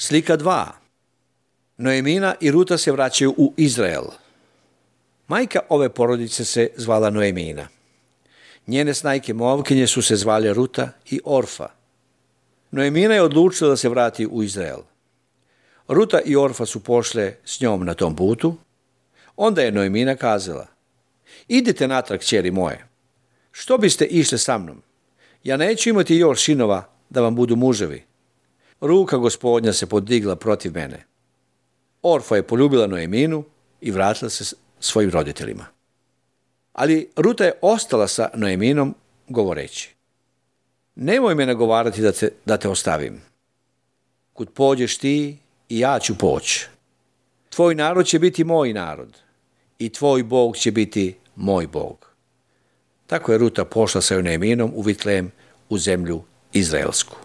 Slika 2. Noemina i Ruta se vraćaju u Izrael. Majka ove porodice se zvala Noemina. Njene snajke Moavkinje su se zvale Ruta i Orfa. Noemina je odlučila da se vrati u Izrael. Ruta i Orfa su pošle s njom na tom putu. Onda je Noemina kazala: idite natrag, kćeri moje. Što biste išli sa mnom? Ja neću imati još sinova da vam budu muževi. Ruka Gospodnja se podigla protiv mene. Orfa je poljubila Noeminu i vratila se svojim roditeljima. Ali Ruta je ostala sa Noeminom govoreći: nemoj me nagovarati da te ostavim. Kud pođeš ti, i ja ću poći. Tvoj narod će biti moj narod i tvoj Bog će biti moj Bog. Tako je Ruta pošla sa Noeminom u Vitlejem, u zemlju izraelsku.